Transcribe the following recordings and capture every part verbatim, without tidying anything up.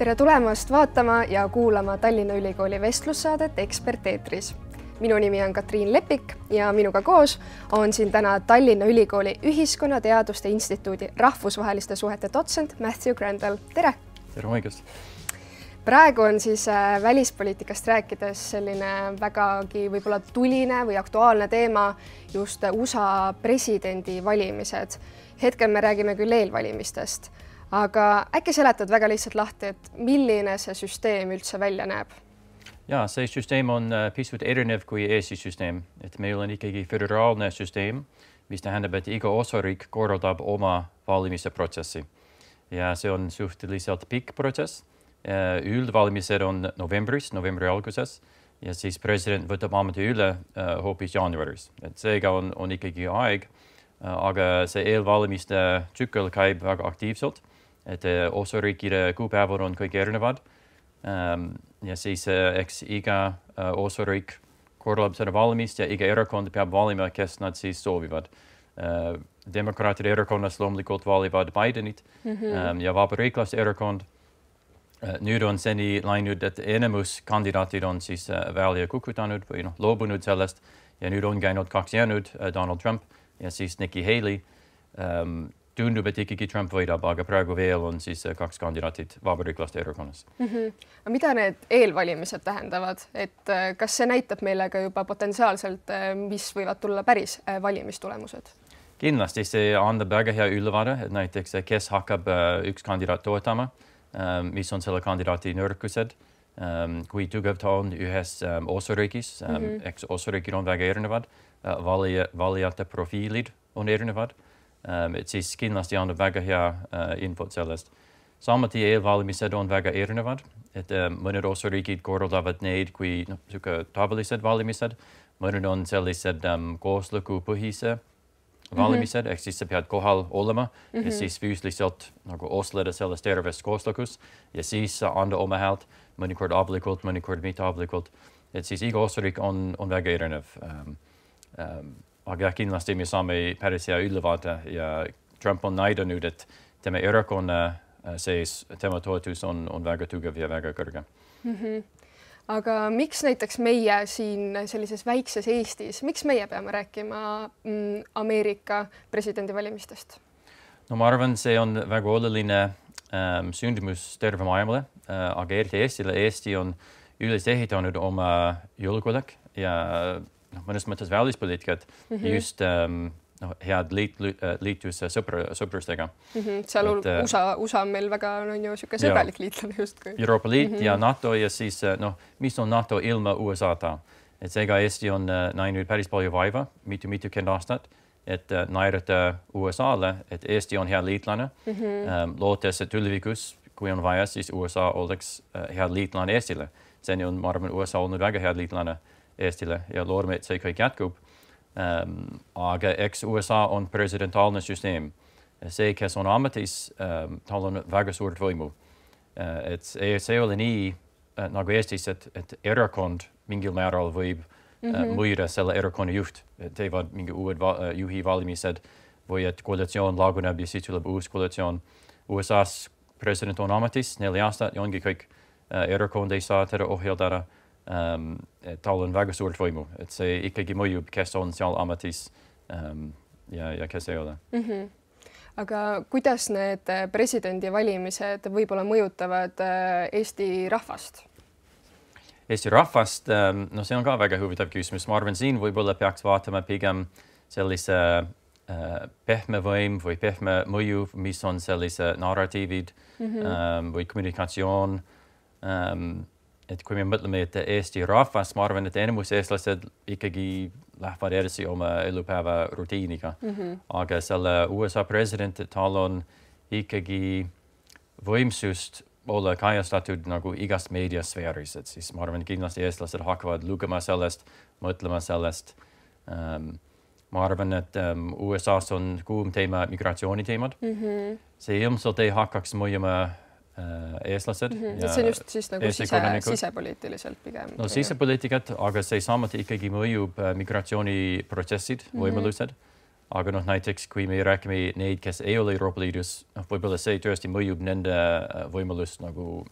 Tere tulemast vaatama ja kuulama Tallinna Ülikooli vestlussaadet Ekspert eetris. Minu nimi on Katriin Lepik ja minuga koos on siin täna Tallinna Ülikooli Ühiskonnateaduste Instituudi rahvusvaheliste suhete dotsent Matthew Grandel. Tere! Tere hommikust! Praegu on siis välispoliitikast rääkides selline vägagi võib-olla tuline või aktuaalne teema just U S A presidendi valimised. Hetkel me räägime küll eelvalimistest, aga äkki seletad väga lihtsalt lahti, et milline see süsteem üldse välja näeb? Ja, see süsteem on pisut erinev kui Eesti süsteem. Et meil on ikkagi föderaalne süsteem, mis tähendab, et iga osariik korraldab oma valimise protsessi. Ja see on suhteliselt pikk protsess. Üldvalimised on novembris, novembri alguses, ja siis president võtab ameti üle hoopis jaanuaris. Et seega on, on ikkagi aeg, aga see eelvalimiste tsükkel käib väga aktiivselt, et osariikide kuupäevad on kõik erinevad. Ja siis eks iga osariik korraldab seda valimist ja iga erakond peab valima, kes nad siis soovivad. Demokraatide erakonnas loomulikult valivad Bidenit mm-hmm. ja vabariiklaste erakond. Nüüd on seni läinud, et enamus kandidaatid on siis välja kukutanud või noh, loobunud sellest ja nüüd on käinud kaks jäänud, Donald Trump ja siis Nikki Haley. Um, tundub, et ikkagi Trump võidab, aga praegu veel on siis kaks kandidaatid vabariiklaste erakonnas. Mm-hmm. Mida need eelvalimised tähendavad? Et kas see näitab meile ka juba potentsiaalselt, mis võivad tulla päris valimistulemused? Kindlasti see annab väga hea ülevaade, et näiteks kes hakkab üks kandidaat toetama. Um, mis on selle kandidaati nõrkused, um, kui tugev ta on ühes um, osariigis, um, mm-hmm. eks osariigid on väga erinevad, uh, valija, valijate profiilid on erinevad, um, et siis kindlasti annab väga hea uh, infot sellest. Samuti eelvalimised on väga erinevad, et um, mõned osariigid korraldavad neid kui no, tavalised valimised, mõned on sellised um, kooslukupõhise valimised, mm-hmm. ehk siis sa pead kohal olema mm-hmm. ja siis füüsiliselt nagu osleda selles terves kooslukus ja siis anda oma häält mõnikord avalikult, mõnikord mitte avalikult. Et siis iga osariik on, on väga erinev. Um, um, aga kindlasti me saame päris hea ülevaate ja Trump on näidanud, et tema erakonna sees tema toetus on, on väga tugev ja väga kõrge. Mm-hmm. Aga miks näiteks meie siin sellises väikses Eestis, miks meie peame rääkima mm, Ameerika presidendivalimistest? No ma arvan, see on väga oluline ähm, sündimus terve maailmale, äh, aga eriti Eestile. Eesti on üles ehitanud oma julgeolek ja no, mõnes mõttes välispoliitikat mm-hmm. just ähm, no, head liit, liitus sõpra, sõprustega. Mm-hmm. Seal et, U S A, U S A on meil väga no, ju siuke sõbralik liitlane justkui. Euroopa Liit mm-hmm. ja NATO ja siis no, mis on NATO ilma U S A-ta. Et seega Eesti on uh, näinud päris palju vaiva, mitu mitukümmend aastat, et uh, näidata U S A-le, et Eesti on hea liitlane. Mm-hmm. Um, lootes, et tulevikus, kui on vaja, siis U S A oleks uh, hea liitlane Eestile. Seni on, ma arvan, U S A olnud väga hea liitlane Eestile ja loodame, et see kõik jätkub. Um, aga eks U S A on presidentaalne süsteem. See, kes on ametis, um, tal on väga suurt võimu. Uh, et see, see ole nii uh, nagu Eestis, et, et erakond mingil määral võib mm-hmm. uh, mõjuda selle erakonna juht. Teevad mingi uued va uh, juhi valimised või et koalitsioon laguneb ja siis tuleb uus koalitsioon. U S A-s president on ametis neli aastat ja ongi kõik. Uh, erakond ei saa teda ohjeldada. Um, tal on väga suurt võimu, et see ikkagi mõjub, kes on seal ametis um, ja, ja kes ei ole. Mm-hmm. Aga kuidas need presidendivalimised võib-olla mõjutavad Eesti rahvast? Eesti rahvast, um, no see on ka väga huvitav küsimus. Ma arvan, siin võib-olla peaks vaatama pigem sellise uh, pehme võim või pehme mõju, mis on sellise narratiivid mm-hmm. um, või kommunikatsioon. Um, Et kui me mõtleme, et Eesti rahvas, ma arvan, et enamus eestlased ikkagi lähevad edasi oma elupäeva rutiiniga. Mm-hmm. Aga selle U S A president, tal on ikkagi võimsust olla kajastatud nagu igas meediasfääris. Et siis ma arvan, kindlasti eestlased hakkavad lugema sellest, mõtlema sellest. Um, ma arvan, et um, U S A-s on kuum teema migratsiooniteemad. Mm-hmm. See ilmselt ei hakkaks mõjuma eestlased. Mm-hmm. Ja see on just siis nagu sise, sisepoliitiliselt pigem. No sisepoliitikat, aga see samuti ikkagi mõjub migratsiooniprotsessid, mm-hmm. võimalused. Aga noh, näiteks kui me räägime neid, kes ei ole Euroopa Liidus, noh, võib-olla see tõesti mõjub nende võimalust nagu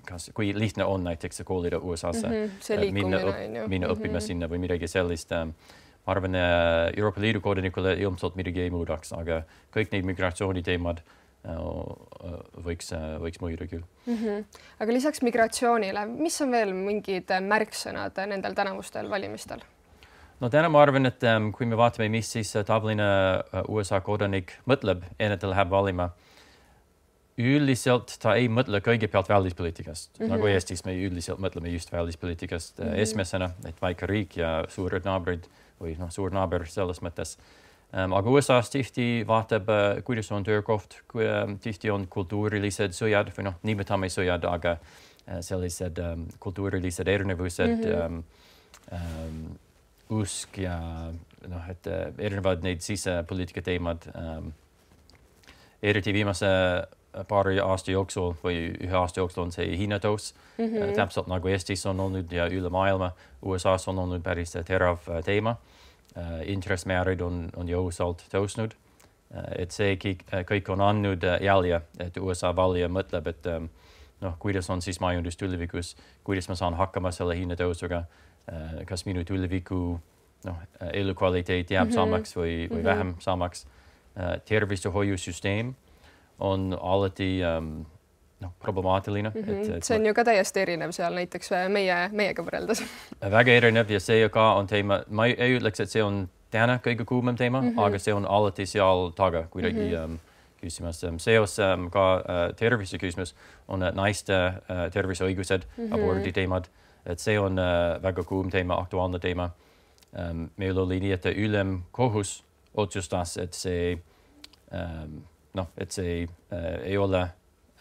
kas, kui lihtne on näiteks koolida U S A-sse mm -hmm. minna, õp, minna mm -hmm. õppima sinna või midagi sellist. Ma arvan, Euroopa Liidu kodanikule ilmselt midagi ei muudaks, aga kõik need migratsiooniteemad võiks, võiks mõjuda küll. Mm -hmm. Aga lisaks migratsioonile, mis on veel mingid märksõnad nendel tänavustel valimistel? No täna ma arvan, et um, kui me vaatame, mis siis tavaline U S A kodanik mõtleb, enne ta läheb valima, üldiselt ta ei mõtle kõigepealt välispoliitikast. Mm -hmm. Nagu Eestis me üldiselt mõtleme just välispoliitikast mm -hmm. esimesena, et väike riik ja suured naabrid või noh, suur naaber selles mõttes. Um, aga U S A-s tihti vaatab, uh, kuidas on töökoht, kui um, tihti on kultuurilised sõjad või noh, nimetame sõjad, aga uh, sellised um, kultuurilised erinevused mm, -hmm. um, um, usk ja noh, et uh, erinevad neid sisepoliitika teemad um, eriti viimase paari aasta jooksul või ühe aasta jooksul on see hinnatõus mm -hmm. täpselt nagu Eestis on olnud ja üle maailma. U S A-s on olnud päris terav teema. Uh, intressmäärid on, on jõusalt tõusnud. Uh, et see kõik, kõik on andnud jälje, et U S A valija mõtleb, et um, noh, kuidas on siis majandus tulevikus, kuidas ma saan hakkama selle hinnatõusuga, uh, kas minu tuleviku noh, elukvaliteet jääb mm -hmm. samaks või, või mm -hmm. vähem samaks. Uh, tervishoiusüsteem on alati um, noh, problemaatiline. Mm -hmm. et, et see on ju ka täiesti erinev seal näiteks meie, meiega võrreldes. Väga erinev ja see ka on teema, ma ei, ei ütleks, et see on täna kõige kuumem teema mm, -hmm. aga see on alati seal taga kuidagi mm -hmm. um, küsimus. Seos um, ka uh, tervise küsimus on uh, naiste uh, terviseõigused mm, -hmm. abordi teemad, et see on uh, väga kuum teema, aktuaalne teema. Um, meil oli nii, et ülemkohus otsustas, et see um, noh, et see uh, ei ole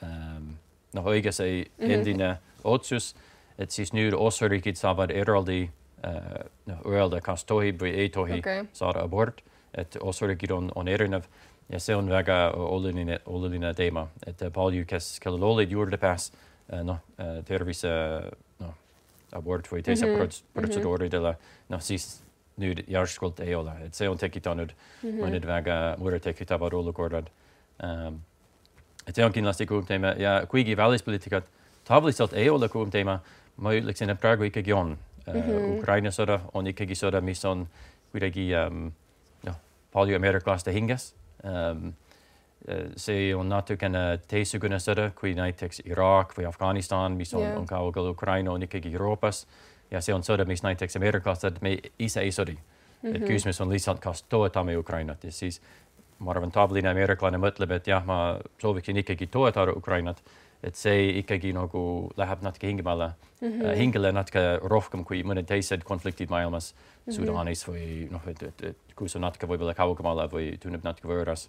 um, noh, õige see endine mm -hmm. otsus, et siis nüüd osariigid saavad eraldi uh, noh, öelda, kas tohib või ei tohi okay. saada abort, et osariigid on, on erinev ja see on väga oluline, oluline teema, et palju, kes, kellel olid juurdepääs uh, noh, uh, tervise noh, abort või teise mm -hmm. protseduuridele, noh siis nüüd järskult ei ole, et see on tekitanud mm -hmm. mõned väga muret tekitavad olukorrad. Um, et see on kindlasti kuum teema ja kuigi välispoliitikat tavaliselt ei ole kuum teema, ma ütleksin, et praegu ikkagi on. Mm -hmm. Ukraina sõda on ikkagi sõda, mis on kuidagi um, noh, palju ameeriklaste hinges. Um, see on natukene teistsugune sõda kui näiteks Iraak või Afganistan, mis on, yeah. on kaugel, Ukraina on ikkagi Euroopas ja see on sõda, mis näiteks ameeriklased me ise ei sõdi. Mm -hmm. Et küsimus on lihtsalt, kas toetame Ukrainat ja siis ma arvan, tavaline ameeriklane mõtleb, et jah, ma sooviksin ikkagi toetada Ukrainat, et see ikkagi nagu läheb natuke hingemale, mm -hmm. hingele natuke rohkem kui mõned teised konfliktid maailmas, mm -hmm. Sudaanis või noh, et, et, et kus on natuke võib-olla kaugemale või tunneb natuke võõras.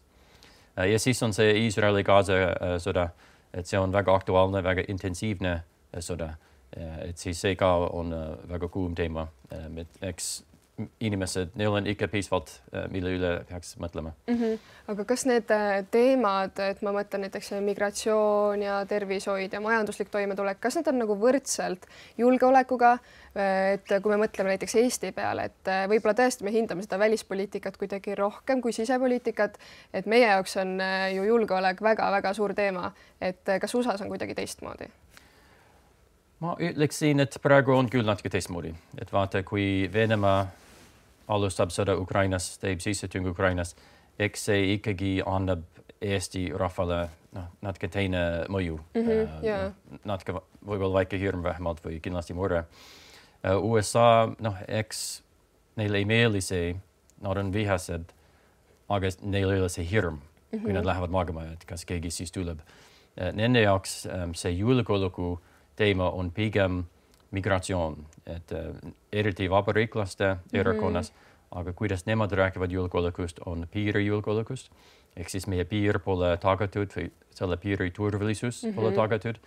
Ja siis on see Iisraeli-Gaza sõda, et see on väga aktuaalne, väga intensiivne sõda, et siis see ka on väga kuum teema, et eks inimesed, neil on ikka piisavalt, mille üle peaks mõtlema. Mm -hmm. Aga kas need teemad, et ma mõtlen näiteks migratsioon ja tervishoid ja majanduslik toimetulek, kas need on nagu võrdselt julgeolekuga, et kui me mõtleme näiteks Eesti peale, et võib-olla tõesti me hindame seda välispoliitikat kuidagi rohkem kui sisepoliitikat, et meie jaoks on ju julgeolek väga-väga suur teema, et kas U S A-s on kuidagi teistmoodi? Ma ütleksin, et praegu on küll natuke teistmoodi, et vaata, kui Venemaa alustab sõda Ukrainas, teeb sissetung Ukrainas, eks see ikkagi annab Eesti rahvale noh, natuke teine mõju mm. -hmm, uh, yeah. natuke võib-olla väike hirm vähemalt või kindlasti mure. Uh, U S A, noh, eks neile ei meeldi see, nad on vihased, aga neil ei ole see hirm, mm -hmm. kui nad lähevad magama, et kas keegi siis tuleb. Uh, nende jaoks um, see julgeoleku teema on pigem migratsioon, et uh, eriti vabariiklaste erakonnas, mm-hmm. aga kuidas nemad räägivad julgeolekust, on piirijulgeolekust, ehk siis meie piir pole tagatud või selle piiri turvalisus mm-hmm. pole tagatud,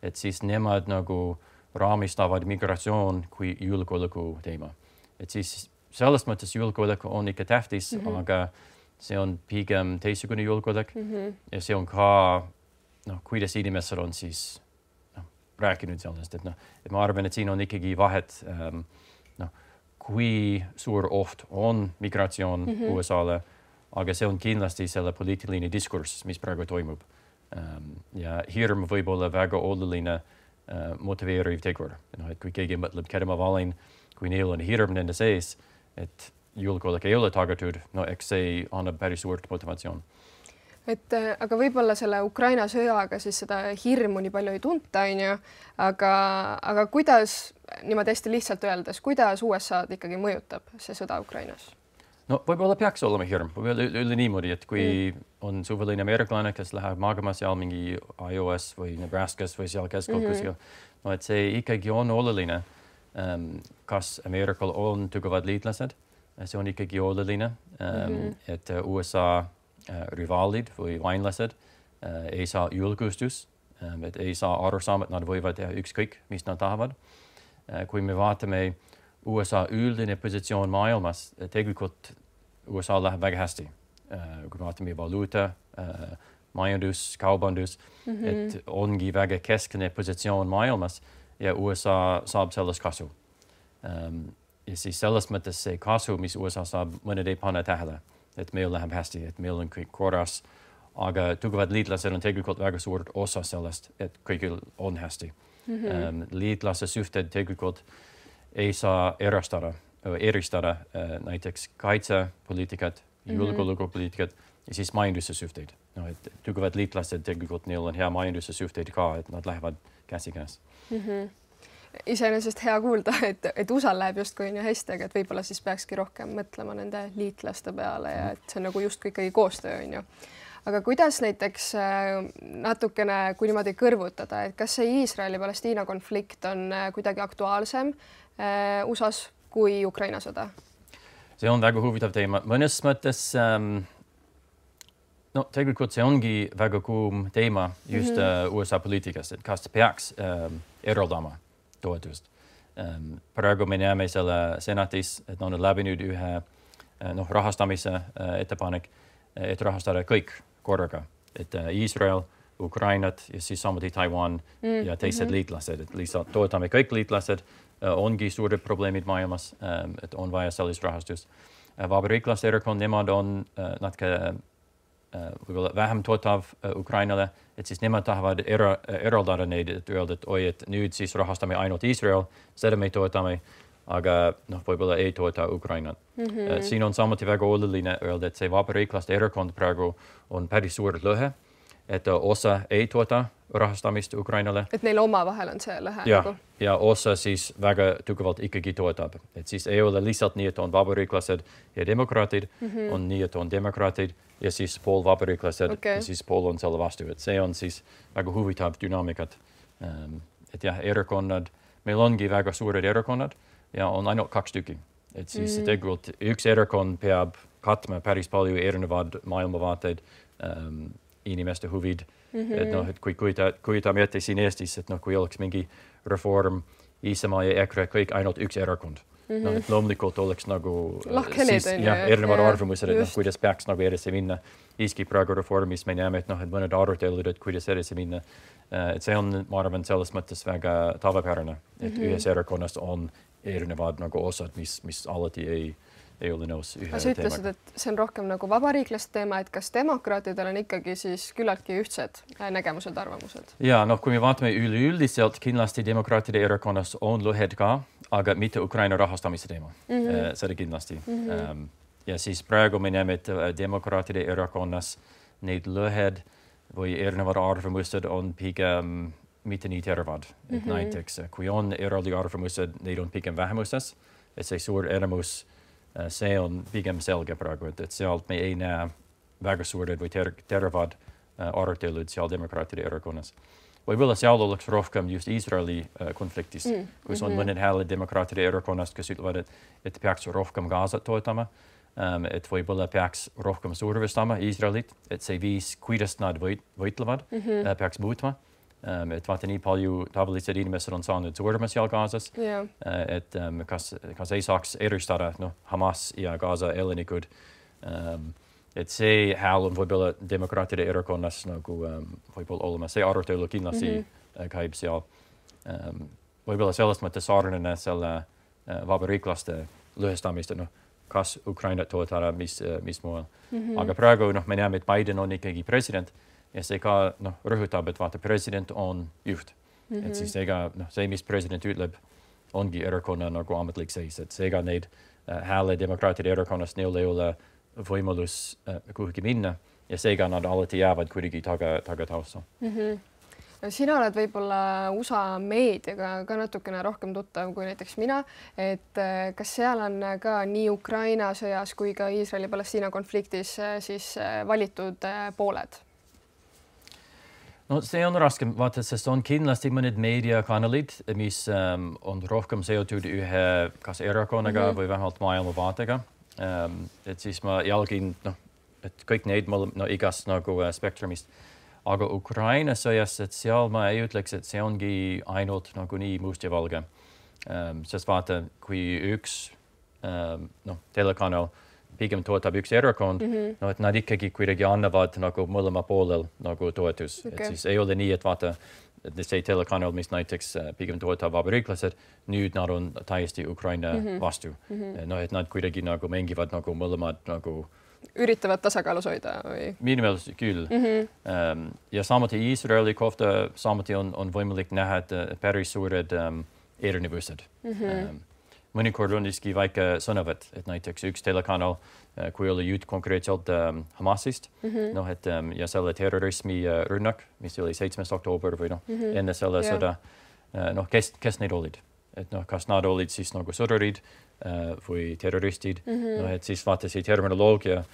et siis nemad nagu raamistavad migratsioon kui julgeoleku teema. Et siis selles mõttes julgeolek on ikka tähtis, mm-hmm. aga see on pigem teistsugune julgeolek mm-hmm. ja see on ka, noh, kuidas inimesed on siis rääkinud sellest, et noh, et ma arvan, et siin on ikkagi vahet, ähm, noh, kui suur oht on migratsioon mm -hmm. U S A-le, aga see on kindlasti selle poliitiline diskurss, mis praegu toimub. Ähm, ja hirm võib olla väga oluline uh, motiveeriv tegur. No, et kui keegi mõtleb, keda ma valin, kui neil on hirm nende sees, et julgeolek ei ole tagatud, no eks see annab päris suurt motivatsioon. Et aga võib-olla selle Ukraina sõjaga siis seda hirmu nii palju ei tunta, on ju, aga, aga kuidas, niimoodi hästi lihtsalt öeldes, kuidas U S A-d ikkagi mõjutab see sõda Ukrainas? No võib-olla peaks olema hirm, võib-olla üle niimoodi, et kui mm. on suveline ameeriklane, kes läheb magama seal mingi Iowas või Nebraskas või seal keskel mm -hmm. kuskil, no et see ikkagi on oluline, um, kas Ameerikal on tugevad liitlased, see on ikkagi oluline, um, mm -hmm. et U S A Uh, rivaalid või vainlased uh, ei saa julgustus, um, et ei saa aru saama, et nad võivad teha ükskõik, mis nad tahavad. Uh, kui me vaatame U S A üldine positsioon maailmas, tegelikult U S A läheb väga hästi. Uh, kui me vaatame valuuta, uh, majandus, kaubandus, mm -hmm. et ongi väga keskne positsioon maailmas ja U S A saab sellest kasu. Um, ja siis selles mõttes see kasu, mis U S A saab, mõned ei pane tähele. Et meil läheb hästi, et meil on kõik korras, aga tugevad liitlased on tegelikult väga suur osa sellest, et kõigil on hästi. Mm -hmm. um, liitlase suhted tegelikult ei saa erastada, eristada uh, näiteks kaitsepoliitikat, julgeolekupoliitikat ja siis majanduse suhteid. No, et tugevad liitlased tegelikult neil on hea majanduse suhteid ka, et nad lähevad käsikäes. Mm -hmm. Iseenesest hea kuulda, et, et U S A läheb justkui on ju hästi, aga et võib-olla siis peakski rohkem mõtlema nende liitlaste peale ja et see on nagu justkui ikkagi koostöö on ju. Aga kuidas näiteks natukene, kui niimoodi kõrvutada, et kas see Iisraeli-Palestiina konflikt on kuidagi aktuaalsem U S A-s kui Ukraina sõda? See on väga huvitav teema. Mõnes mõttes, um, no tegelikult see ongi väga kuum teema just mm -hmm. uh, U S A poliitikas, et kas peaks um, eraldama toetust. Um, praegu me näeme selle senatis, et on läbinud ühe noh, rahastamise uh, ettepanek, et rahastada kõik korraga. Et uh, Iisrael, Ukrainat ja siis samuti Taiwan mm, ja teised mm -hmm. liitlased. Et lihtsalt toetame kõik liitlased. Uh, ongi suured probleemid maailmas, um, et on vaja sellist rahastust. Uh, Vabariiklaste erakond, nemad on uh, natuke uh, vähem toetav uh, Ukrainale, et siis nemad tahavad era, eraldada neid, et öelda, et oi, et nüüd siis rahastame ainult Iisrael, seda me toetame, aga noh, võib-olla ei toeta Ukrainat. Mm -hmm. Siin on samuti väga oluline öelda, et see vabariiklaste erakond praegu on päris suur lõhe, et osa ei toeta rahastamist Ukrainale. Et neil omavahel on see lõhe? Ja, nagu? Ja osa siis väga tugevalt ikkagi toetab. Et siis ei ole lihtsalt nii, et on vabariiklased ja demokraatid, mm -hmm. on nii, et on demokraatid ja siis pool vabariiklased okay. ja siis pool on selle vastu. Et see on siis väga huvitav dünaamikat. Um, et jah, erakonnad, meil ongi väga suured erakonnad ja on ainult kaks tükki. Et siis mm. tegelikult üks erakond peab katma päris palju erinevad maailmavaateid, um, inimeste huvid. Mm -hmm. Et noh, et kui kujuta, kujutame ette siin Eestis, et noh, kui oleks mingi reform, Isamaa ja EKRE, kõik ainult üks erakond. Mm -hmm. Noh, et loomulikult oleks nagu siis, jah, erinevad arvamused, et noh, kuidas peaks nagu edasi minna. Iski praegu reformis me näeme, et noh, et mõned arutelud, et kuidas edasi minna. Et see on, ma arvan, selles mõttes väga tavapärane, et mm -hmm. ühes erakonnas on erinevad nagu osad, mis, mis alati ei, ei ole nõus ühe sa ütlesid, teemaga. Et see on rohkem nagu vabariiklaste teema, et kas demokraatidel on ikkagi siis küllaltki ühtsed nägemused, arvamused? Ja, noh, kui me vaatame üleüldiselt, kindlasti demokraatide erakonnas on lõhed ka, aga mitte Ukraina rahastamise teema. Mm -hmm. Seda kindlasti. Mm -hmm. um, ja siis praegu me näeme, et demokraatide erakonnas neid lõhed või erinevad arvamused on pigem mitte nii teravad. Mm -hmm. Näiteks, kui on eraldi arvamused, neid on pigem vähemuses, et see suur enamus, see on pigem selge praegu, et, et sealt me ei näe väga suured või ter teravad arutelud seal demokraatide erakonnas. Võib-olla seal oleks rohkem just Iisraeli konfliktist, mm -hmm. kus on mõned hääled demokraatide erakonnast, kes ütlevad, et, et peaks rohkem Gazat toetama, um, et võib-olla peaks rohkem survestama Iisraelit, et see viis, kuidas nad võit võitlevad, mm -hmm. uh, peaks muutma. Um, et vaata, nii palju tavalised inimesed on saanud surma seal Gazas, yeah. uh, et um, kas, kas ei saaks eristada no, Hamas ja Gaza elanikud. Um, et see hääl on võib-olla demokraatide erakonnas nagu um, võib-olla olema. See arutelu kindlasti mm -hmm. käib seal. Um, võib-olla selles mõttes sarnane selle uh, vabariiklaste lõhestamist, noh, kas Ukrainat toetada, mis, mis muul. Mm -hmm. Aga praegu noh, me näeme, et Biden on ikkagi president ja see ka noh, rõhutab, et vaata, president on juht. Mm -hmm. Et siis ega noh, see, mis president ütleb, ongi erakonna nagu ametlik seis, et seega neid äh, hääle demokraatide erakonnast neil ei ole võimalus äh, kuhugi minna ja seega nad alati jäävad kuidagi taga, tagatausta. Mm -hmm. Sina oled võib-olla U S A meediaga ka natukene rohkem tuttav kui näiteks mina, et kas seal on ka nii Ukraina sõjas kui ka Iisraeli-Palestiina konfliktis siis valitud pooled? No see on raske vaata, sest on kindlasti mõned meediakanalid, mis um, on rohkem seotud ühe kas erakonnaga mm -hmm. või vähemalt maailmavaatega. Um, et siis ma jälgin, noh, et kõik neid mul no, igast nagu uh, spektrumist. Aga Ukraina sõjas, et seal ma ei ütleks, et see ongi ainult nagu nii must ja valge. Um, sest vaata, kui üks um, noh, telekanal pigem toetab üks erakond, mm -hmm. no et nad ikkagi kuidagi annavad nagu mõlema poolel nagu toetus. Okay. Et siis ei ole nii, et vaata, et see telekanal, mis näiteks pigem toetab vabariiklased, nüüd nad on täiesti Ukraina mm -hmm. vastu. Mm -hmm. No et nad kuidagi nagu mängivad nagu mõlemad nagu üritavad tasakaalus hoida või? Minu meelest küll. Mm -hmm. um, ja samuti Iisraeli kohta samuti on, on võimalik näha, et päris suured um, erinevused. Mm -hmm. um, mõnikord on isegi väike sõnavõtt, et näiteks üks telekanal, kui oli jutt konkreetselt um, Hamasist, mm -hmm. noh, et um, ja selle terrorismi uh, rünnak, mis oli seitsmes oktoober või noh, mm -hmm. enne selle yeah. sõda, uh, noh, kes, kes need olid? Et noh, kas nad olid siis nagu sõdurid uh, või terroristid, mm -hmm. noh, et siis vaata see terminoloogia,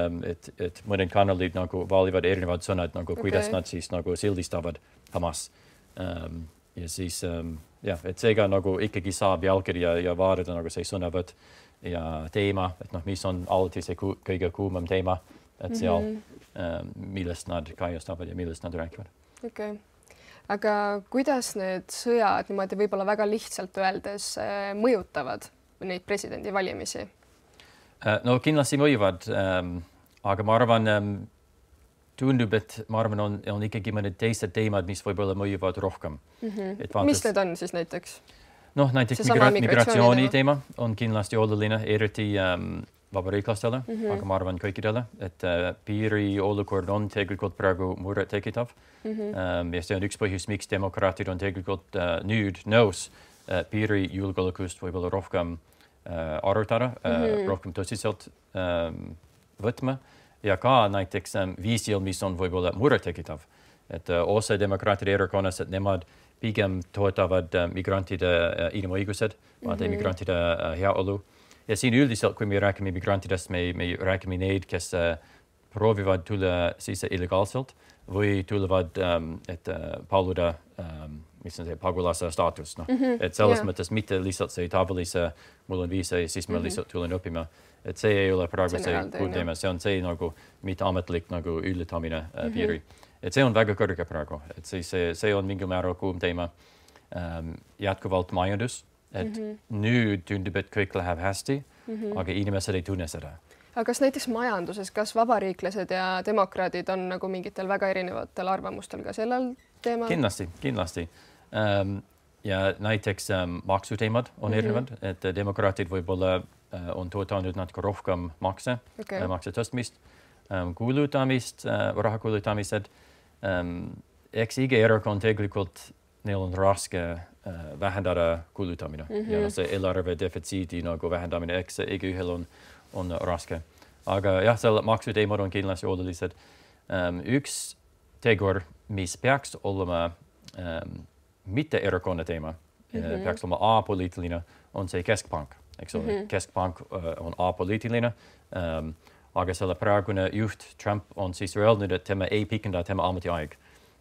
um, et, et mõned kanalid nagu valivad erinevad sõnad, nagu okay. kuidas nad siis nagu sildistavad Hamas. Um, ja siis um, jah, et seega nagu ikkagi saab jälgida ja vaadata nagu see sõnavõtt ja teema, et noh, mis on alati see ku, kõige kuumem teema, et seal mm -hmm. um, millest nad kajastavad ja millest nad räägivad. Okei. Okay. Aga kuidas need sõjad niimoodi võib-olla väga lihtsalt öeldes mõjutavad neid presidendivalimisi? No kindlasti mõjuvad, um, aga ma arvan, um, tundub, et ma arvan, on, on ikkagi mõned teised teemad, mis võib-olla mõjuvad rohkem. Mm -hmm. Vaatas, mis need on siis näiteks? Noh, näiteks migra migratsiooni teema on kindlasti oluline, eriti um, vabariiklastele, mm -hmm. aga ma arvan kõikidele, et uh, piiri olukord on tegelikult praegu muret tekitav. Mm -hmm. um, ja see on üks põhjus, miks demokraatid on tegelikult uh, nüüd nõus uh, piiri julgeolekust võib-olla rohkem uh, arutada, mm -hmm. uh, rohkem tõsiselt um, võtma ja ka näiteks um, viisil, mis on võib-olla muret tekitav. Et uh, osa demokraatide erakonnas, et nemad pigem toetavad uh, migrantide uh, inimõigused, mm -hmm. migrantide uh, heaolu. Ja siin üldiselt, kui me räägime migrantidest, me, me räägime neid, kes uh, proovivad tulla sisse illegaalselt või tulevad, um, et uh, paluda, um, mis on see pagulase staatus. No. Mm -hmm. Et selles yeah. mõttes mitte lihtsalt see tavalise, mul on viisa ja siis ma mm -hmm. lihtsalt tulen õppima. Et see ei ole praegu see, see kuul teema, see on see nagu mitte ametlik nagu ületamine uh, mm -hmm. piiri. Et see on väga kõrge praegu, et siis see, see on mingil määral kuum teema. Um, jätkuvalt majandus, et mm -hmm. nüüd tundub, et kõik läheb hästi, mm -hmm. aga inimesed ei tunne seda. Aga kas näiteks majanduses, kas vabariiklased ja demokraadid on nagu mingitel väga erinevatel arvamustel ka sellel teemal? Kindlasti, kindlasti. Um, ja näiteks um, maksuteemad on mm -hmm. erinevad, et demokraatid võib-olla uh, on toetanud natuke rohkem makse, okay. uh, makse tõstmist, um, kulutamist, uh, raha kulutamised. Um, eks iga erakond tegelikult, neil on raske uh, vähendada kulutamine mm -hmm. ja see eelarve defitsiidi nagu vähendamine, eks igaühel on, on raske. Aga jah, selle maksuteemad on kindlasti olulised. Um, üks tegur, mis peaks olema um, mitte erakonna teema, mm -hmm. peaks olema apoliitiline, on see keskpank, eks ole. Mm -hmm. Keskpank uh, on apoliitiline, um, aga selle praegune juht Trump on siis öelnud, et tema ei pikenda tema ametiaeg.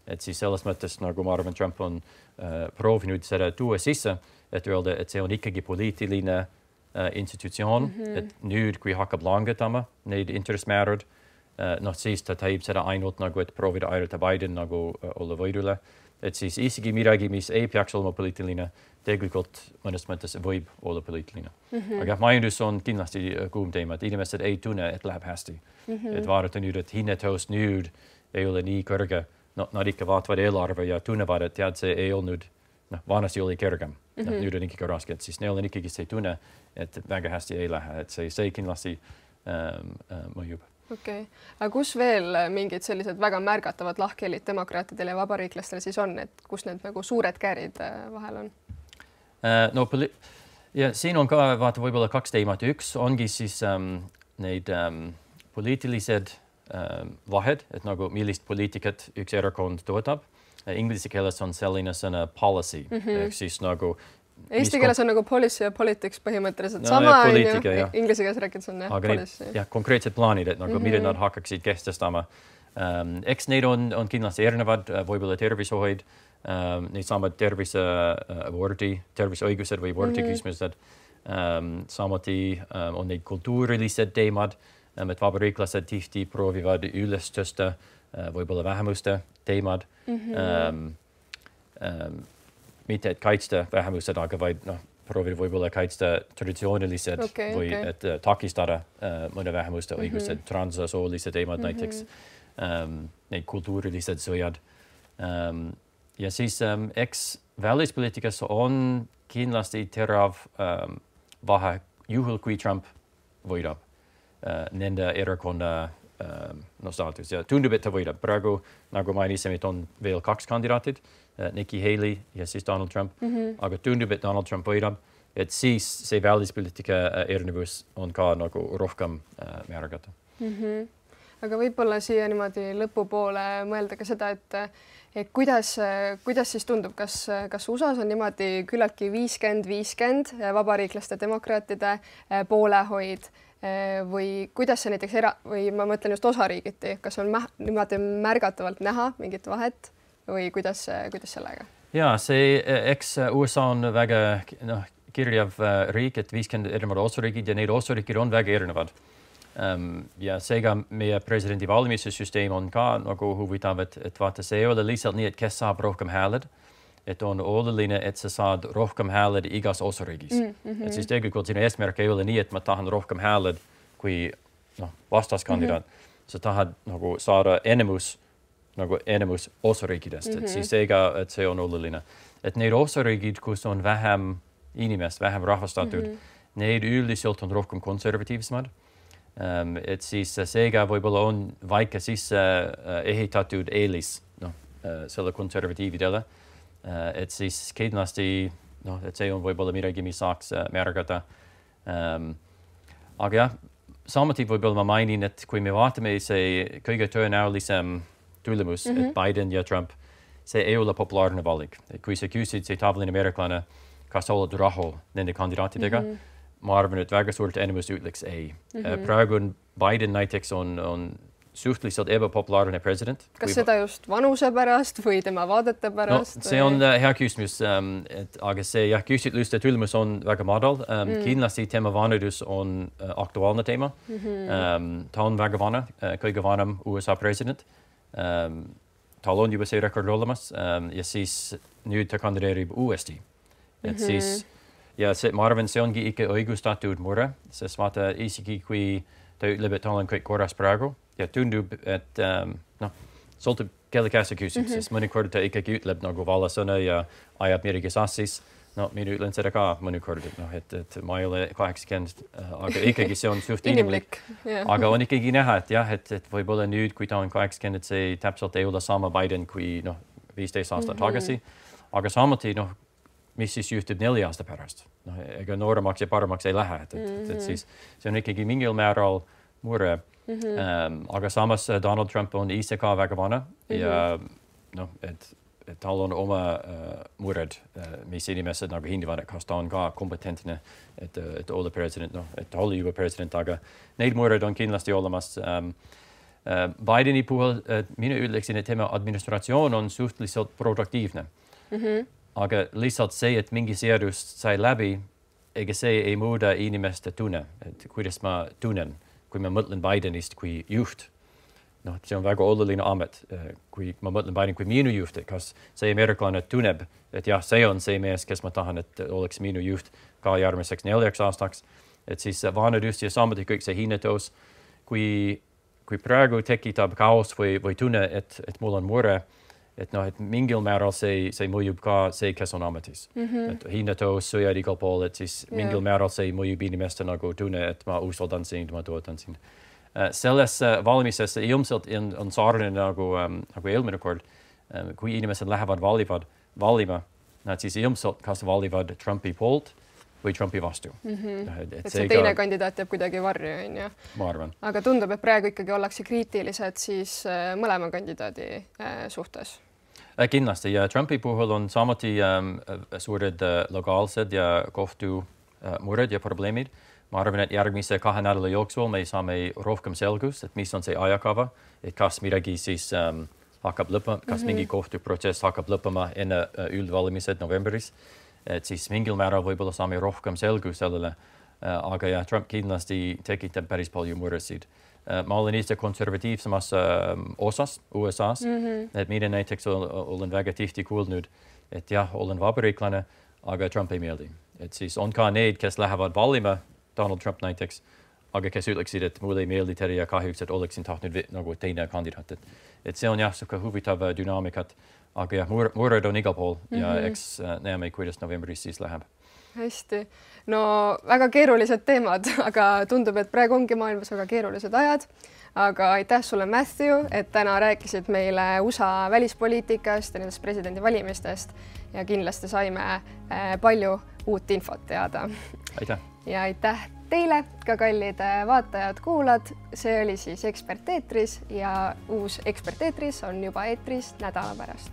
Et siis selles mõttes, nagu ma arvan, Trump on uh, proovinud seda tuua sisse, et öelda, et see on ikkagi poliitiline uh, institutsioon, mm -hmm. et nüüd, kui hakkab langetama neid intressimäärad, uh, noh siis ta teeb seda ainult nagu, et proovida aidata Biden nagu uh, olla võidule. Et siis isegi midagi, mis ei peaks olema poliitiline, tegelikult mõnes mõttes võib olla poliitiline. Mm -hmm. Aga majandus on kindlasti uh, kuum teema, et inimesed ei tunne, et läheb hästi. Mm -hmm. Et vaadata nüüd, et hinnatõus nüüd ei ole nii kõrge. No, nad ikka vaatavad eelarve ja tunnevad, et tead, see ei olnud, noh, vanasti oli kergem. Mm -hmm. no, nüüd on ikkagi raske, et siis neil on ikkagi see tunne, et väga hästi ei lähe, et see, see kindlasti ähm, äh, mõjub. okei okay., aga kus veel mingid sellised väga märgatavad lahkhelid demokraatidel ja vabariiklastel siis on, et kus need nagu suured käärid vahel on? No ja siin on ka vaata võib-olla kaks teemat. Üks ongi siis um, neid um, poliitilised um, vahed, et nagu millist poliitikat üks erakond toetab. Inglise keeles on selline sõna policy, mm -hmm. ehk siis nagu Eesti keeles on nagu policy ja politics põhimõtteliselt no, sama, inglise keeles rääkides on jah, aga policy. Need, jah, konkreetsed plaanid, et nagu mm -hmm. mida nad hakkaksid kehtestama. Um, eks neid on, on kindlasti erinevad, võib-olla tervishoid, um, neid saavad tervise uh, abordi, terviseõigused või abordi mm -hmm. küsimused. Um, samuti um, on neid kultuurilised teemad, um, et vabariiklased tihti proovivad üles tõsta uh, võib-olla vähemuste teemad. Mm -hmm. um, um, mitte et kaitsta vähemused, aga vaid noh, proovida võib-olla kaitsta traditsioonilised okay, või okay. et uh, takistada uh, mõne vähemuste mm -hmm. õigused, transsoolised teemad mm -hmm. näiteks, um, neid kultuurilised sõjad. Um, ja siis um, eks välispoliitikas on kindlasti terav um, vahe juhul, kui Trump võidab uh, nende erakonna um, no, staatus ja tundub, et ta võidab. Praegu, nagu mainisime, et on veel kaks kandidaatid, uh, Nikki Haley ja siis Donald Trump, mm -hmm. aga tundub, et Donald Trump võidab, et siis see välispoliitika uh, erinevus on ka nagu rohkem uh, märgata. Mm -hmm. Aga võib-olla siia niimoodi lõpupoole mõelda ka seda, et et kuidas, kuidas siis tundub, kas, kas U S A-s on niimoodi küllaltki viiskümmend viiskümmend vabariiklaste demokraatide poolehoid või kuidas see näiteks era- või ma mõtlen just osariigiti, kas on mä niimoodi märgatavalt näha mingit vahet või kuidas, kuidas sellega? Ja see, eks U S A on väga noh, kirjav riik, et viiskümmend erinevad osariigid ja neid osariigid on väga erinevad. Um, ja seega meie presidendi valimise süsteem on ka nagu huvitav, et, et vaata, see ei ole lihtsalt nii, et kes saab rohkem hääled, et on oluline, et sa saad rohkem hääled igas osariigis. Mm -hmm. Et siis tegelikult sinu eesmärk ei ole nii, et ma tahan rohkem hääled kui noh, vastaskandidaat. Mm -hmm. Sa tahad nagu saada enemus, nagu enemus osariikidest, mm -hmm. et siis seega, et see on oluline. Et need osariigid, kus on vähem inimest, vähem rahvastatud, mm -hmm. need üldiselt on rohkem konservatiivsemad. Um, et siis seega võib-olla on väike sisse uh, ehitatud eelis noh, uh, selle konservatiividele. Uh, et siis kindlasti noh, et see on võib-olla midagi, mis saaks uh, märgata. Um, aga jah, samuti võib-olla ma mainin, et kui me vaatame see kõige tõenäolisem tulemus, mm -hmm. et Biden ja Trump, see ei ole populaarne valik. Kui sa küsid see tavaline ameeriklane, kas sa oled rahul nende kandidaatidega, mm -hmm. ma arvan, et väga suurt enamus ütleks ei. Mm -hmm. Praegu on Biden näiteks on, on suhteliselt ebapopulaarne president. Kas seda just vanuse pärast või tema vaadete pärast? No, see on uh, hea küsimus, um, et, aga see jah, küsitluste tulemus on väga madal. Um, mm. Kindlasti tema vanadus on uh, aktuaalne teema. Mm -hmm. um, ta on väga vana, uh, kõige vanem U S A president. Um, tal on juba see rekord olemas um, ja siis nüüd ta kandideerib uuesti. Et mm -hmm. siis ja see, ma arvan, see ongi ikka õigustatud mure, sest vaata, isegi kui ta ütleb, et tal on kõik korras praegu ja tundub, et um, noh, sõltub kelle käest sa küsid, mm -hmm. sest mõnikord ta ikkagi ütleb nagu valasõna ja ajab midagi sassis. No, mina ütlen seda ka mõnikord, et noh, et, et ma ei ole kaheksakümmend, aga ikkagi see on suht inimlik. Yeah. Aga on ikkagi näha, et jah, et, et võib-olla nüüd, kui ta on kaheksakümmend, see täpselt ei ole sama Biden kui noh, viisteist aastat mm -hmm. tagasi. Aga samuti noh, mis siis juhtub nelja aasta pärast. No, ega nooremaks ja paremaks ei lähe, et, et, et, et siis see on ikkagi mingil määral mure. Mm -hmm. um, aga samas Donald Trump on ise ka väga vana mm -hmm. ja noh, et, et tal on oma uh, mured, uh, mis inimesed nagu hindavad, kas ta on ka kompetentne, et, et olla president, noh, et olla juba president, aga neid mured on kindlasti olemas. Um, uh, Bideni puhul uh, mina ütleksin, et tema administratsioon on suhteliselt produktiivne. Mm -hmm. Aga lihtsalt see, et mingi seadus sai läbi, ega see ei muuda inimeste tunne, et kuidas ma tunnen, kui ma mõtlen Bidenist kui juht. Noh, see on väga oluline amet, kui ma mõtlen Biden kui minu juht, et kas see ameeriklane tunneb, et jah, see on see mees, kes ma tahan, et oleks minu juht ka järgmiseks neljaks aastaks. Et siis vanadus ja samuti kõik see hinnatõus, kui, kui praegu tekitab kaos või, või tunne, et, et mul on mure, et noh, et mingil määral see, see mõjub ka see, kes on ametis. Mm -hmm. Et hinnatõus, sõjad igal pool, et siis yeah. mingil määral see mõjub inimeste nagu tunne, et ma usaldan sind, ma toetan sind. Sellesse valmisesse ilmselt on sarnane nagu, nagu eelmine kord, kui inimesed lähevad valivad, valima, nad siis ilmselt kas valivad Trumpi poolt või Trumpi vastu. Mm -hmm. et, et see seega, teine kandidaat jääb kuidagi varju, on ju? Ma arvan. Aga tundub, et praegu ikkagi ollakse kriitilised siis mõlema kandidaadi suhtes. Kindlasti ja Trumpi puhul on samuti um, suured uh, legaalsed ja kohtu uh, mured ja probleemid. Ma arvan, et järgmise kahe nädala jooksul me saame rohkem selgust, et mis on see ajakava, et kas midagi siis um, hakkab lõppema, kas mm -hmm. mingi kohtuprotsess hakkab lõppema enne uh, üldvalimised novembris. Et siis mingil määral võib-olla saame rohkem selgust sellele, uh, aga ja Trump kindlasti tekitab päris palju muresid. Uh, ma olen ise konservatiivsemas uh, osas U S A's, mm -hmm. et mina näiteks olen väga tihti kuulnud, et jah, olen vabariiklane, aga Trump ei meeldi. Et siis on ka need, kes lähevad valima, Donald Trump näiteks, aga kes ütleksid, et mulle ei meeldi teile ja kahjuks, et oleksin tahtnud nagu teine kandidaat. Et, et see on jah, siuke huvitav dünaamikat, aga jah, mured on igal pool mm -hmm. ja eks näeme, kuidas novembris siis läheb. Hästi. No väga keerulised teemad, aga tundub, et praegu ongi maailmas väga keerulised ajad. Aga aitäh sulle, Matthew, et täna rääkisid meile U S A välispoliitikast ja nendest presidendivalimistest ja kindlasti saime palju uut infot teada. Aitäh. Ja aitäh teile ka, kallid vaatajad-kuulajad. See oli siis Ekspert eetris ja uus Ekspert eetris on juba eetris nädala pärast.